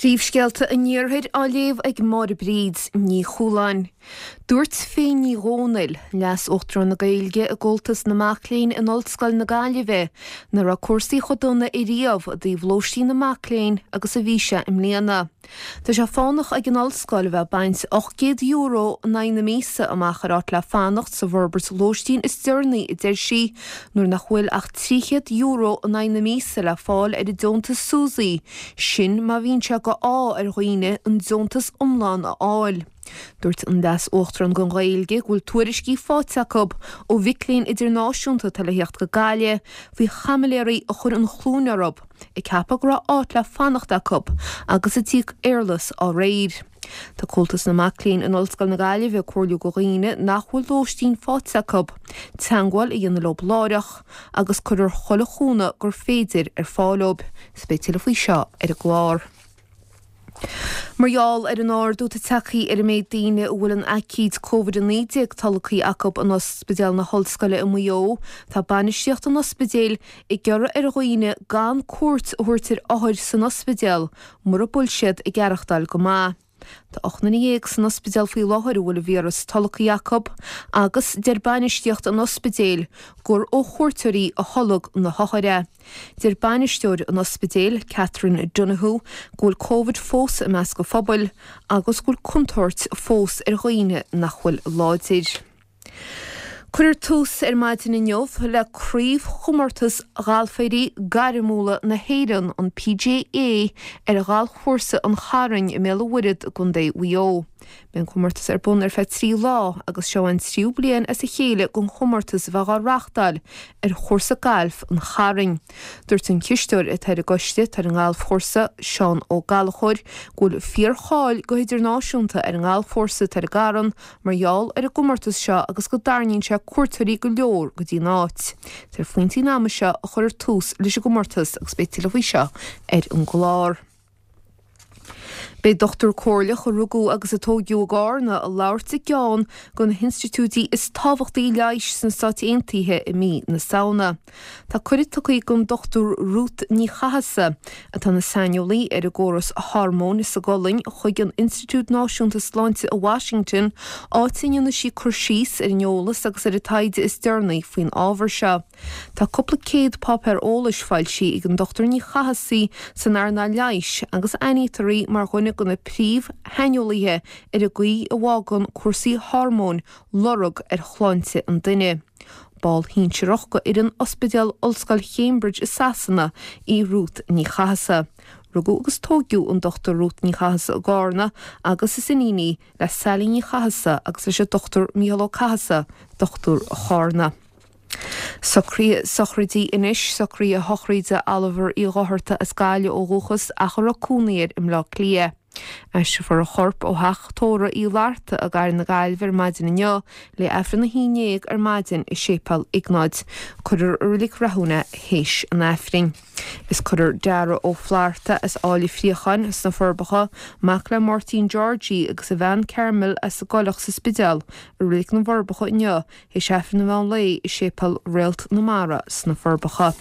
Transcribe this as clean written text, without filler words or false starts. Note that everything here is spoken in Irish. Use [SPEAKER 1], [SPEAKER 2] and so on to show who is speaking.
[SPEAKER 1] Príomhscéalta an Iarthair á léamh ag Máire Bríd Ní Chualáin. Dúirt Faye Ní Dhomhnaill, Leas-Uachtarán na Gaeilge i gComhaltas na Mac Léinn in Ollscoil na Gaillimhe, nach raibh cúrsaí chomh dona ariamh i dtaobh lóistín na mac léinn agus a bhí sé i mbliana. Tá sé fánach ag an Ollscoil a bheith ag baint €800 in aghaidh na míosa amach ar áit le fanacht sa bhforbairt lóistín is deireanaí, a deir sí, nuair nach bhfuil ach €300 in aghaidh na míosa le fáil ar an deontas SUSI, sin má bhíonn sé go ádh ar dhaoine an deontas iomlán a fháil. Dúirt an Leas-Uachtarán don Ghaeilge go bhfuil tuairiscí faighte acu ó mhic léinn idirnáisiúnta atá le theacht go Gaillimh faoi chaimiléirí a chuir an chluain orthu. ag ceapadh go raibh áit le fanacht acu agus a d'íoc éarlais dá réir. Tá Comhaltas na Mac Léinn in Ollscoil na Gaillimhe ag comhairliú go dhaoine nach bhfuil lóistín faighte acu, teangmháil a dhéanamh leo láithreach agus cuirfear chuile chúnamh gur féidir ar fáil dóibh. Is beidh tuilleadh faoi seo ar an gclár. Mar gheall ar an ardú atá tagtha ar an méid daoine a bhfuil an aicíd Covid-19 tolgtha acu in Ospidéal na hOllscoile i Maigh Eo, tá bainistíocht an ospidéil ag iarraidh ar dhaoine gan cuairt a thabhairt ar othair san ospidéal mura bhfuil siad ag aireachtáil go maith. Tá 18 nduine san ospidéal faoi láthair a bhfuil an víreas tolgtha acu agus deir bainistíocht an ospidéil gur ó chuairteoirí a tholg na hothair é. Deir bainisteoir an ospidéil, Catherine Donoghue, go bhfuil Covid fós i measc an phobail agus go bhfuil contúirt fós ar dhaoine nach bhfuil láidir. Cuirfear tús ar maidin inniu le Craobhchomórtas Ghalfairí Gairmiúla na hÉireann, an PGA, ar Ghalfchúrsa an Chairn i mBéal an Mhuirthead i gContae Mhaigh Eo. Beidh an comórtas ar bun ar feadh 3 lá agus seo an tríú bliain as a chéile don chomórtas a bheith á reáchtáil ar chúrsa gailf an Chairn. Dúirt an cisteoir atá ar an gcoiste atá ar an ngalfchúrsa, Seán Ó Gallchóir, go bhfuil fíor-cháil go hidirnáisiúnta ar an ngalfchúrsa atá ar an gCarn mar gheall ar an gcomórtas seo agus go dtarraingíonn sé cuairteoirí go leor go dtí an áit. Is ar phointí an ama seo a chuirfear tús leis an gcomórtas agus beidh tuilleadh faoi seo ar an gclár. Beidh dochtúir comhairleach a rugadh agus a tóigeadh i gCárna ag labhairt i gceann de na hinstitiúidí is tábhachtaí leighis sna Stáit Aontaithe i mí na Samhna. Tá cuireadh tugtha don Dr Ruth Ní Chathasaigh, atá ina saineolaí ar an gcóras hormóin sa gcolainn, chuig an Institiúid Náisiúnta Sláinte i Washington, áit a ndéanfaidh sí cur síos ar an eolas agus ar an taighde is deireanaí faoin ábhar seo. Tá cúpla céad páipéar eolais foilsithe ag an Dr Ní Chathasaigh san earnáil leighis agus aithnítear í mar dhuine de na príomh-shaineolaithe ar an gcaoi a bhfágann cúrsaí hormóin lorg ar shláinte an duine. Ball shinsearach de fhoireann Ospidéal Ollscoil Cambridge i Sasana í Ruth Ní Chathasaigh. Rugadh agus tóigeadh an Dr Ruth Ní Chathasaigh i gCárna agus is iníon í le Sally Ní Chathasaigh agus leis an Dr Mícheál Ó Cathasaigh, dochtúir Chárna. Socruithe sochraide anois, socruithe sochraide Oliver Uí Dhochartaigh as Gaillimh ó dhúchas ach a raibh cónaí air i mBleá Cliath. Aistreofar a chorp ó theach tórraimh Uí Fhlatharta i gCathair na Gaillimhe ar maidin inniu le Aifreann 11 ar maidin i Séipéal Iognáid. Cuirfear i Reilig Rathúin é théis an Aifrinn. Is cuirfear Dara Ó Flatharta as Áill an Phríocháin sna Forbacha, mac le Máirtín Georgie agus a bhean Carmel as an gCoileach sa Spidéal, i Reilig na bhForbacha inniu Théis Aifreann an mheán lae i Séipéal Réalt na Mara sna Forbacha.